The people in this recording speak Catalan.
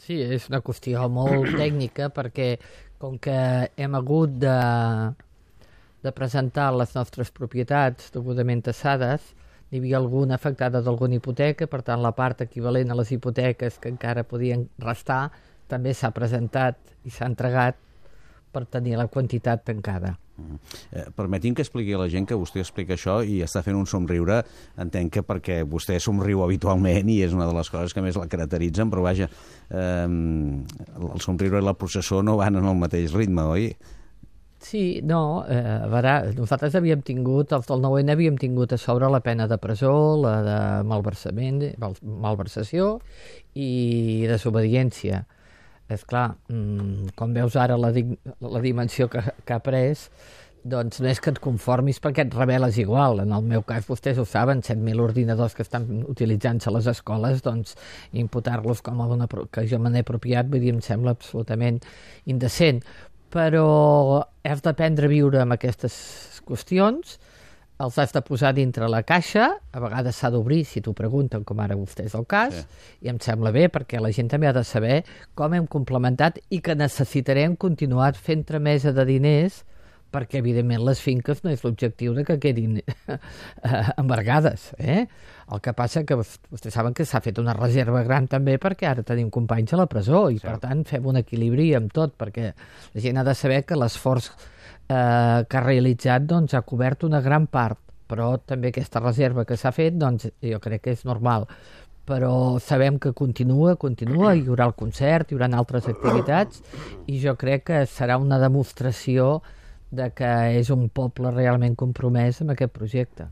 Sí, és una qüestió molt tècnica perquè com que hem hagut de presentar les nostres propietats degudament tassades, n'hi havia alguna afectada d'alguna hipoteca, per tant la part equivalent a les hipoteques que encara podien restar també s'ha presentat i s'ha entregat per tenir la quantitat tancada. Permeti'm que expliqui a la gent que vostè explica això i està fent un somriure, entenc que perquè vostè somriu habitualment i és una de les coses que més la caracteritzen, però vaja, el somriure i la processó no van en el mateix ritme, oi? Sí, no, a veure, nosaltres havíem tingut, els del 9N havíem tingut a sobre la pena de presó, la de malversació i desobediència. És clar, com veus ara la dimensió que ha pres, doncs no és que et conformis perquè et rebel·les igual. En el meu cas, vostès ho saben, 7.000 ordinadors que estan utilitzant-se a les escoles, doncs imputar-los com a que jo me n'he apropiat, vull dir, em sembla absolutament indecent. Però has d'aprendre a viure amb aquestes qüestions, els has de posar dintre la caixa, a vegades s'ha d'obrir, si t'ho pregunten, com ara vostè és el cas, sí. I em sembla bé, perquè la gent també ha de saber com hem complementat i que necessitarem continuar fent tramesa de diners, perquè, evidentment, les finques no és l'objectiu de que quedin embargades. El que passa que vostès saben que s'ha fet una reserva gran també perquè ara tenim companys a la presó i, per tant, fem un equilibri amb tot, perquè la gent ha de saber que l'esforç que ha realitzat doncs, ha cobert una gran part, però també aquesta reserva que s'ha fet doncs, jo crec que és normal. Però sabem que continua, hi haurà el concert, hi haurà altres activitats i jo crec que serà una demostració de que és un poble realment compromès amb aquest projecte.